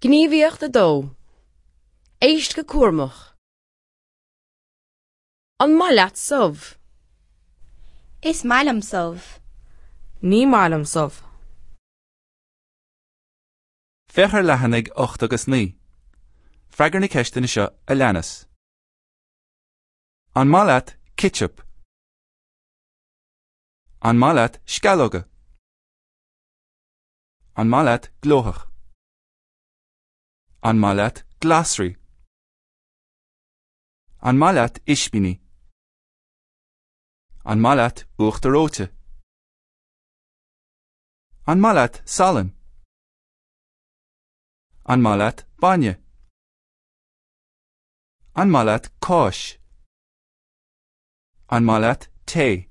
Gníomhaíocht 2. Éist go cúramach. An maith leat subh? Is maith liom subh. Ní maith liom subh. Féach ar leathanaigh 8 agus 9. Freagair na ceisteanna seo a leanas. An maith leat citseap? An maith leat sceallóga? An maith leat glóthach? An maith leat glasraí? An maith leat ispíní? An maith leat uachtar reoite? An maith leat salann? An maith leat bainne? An maith leat cáis? An maith leat tae?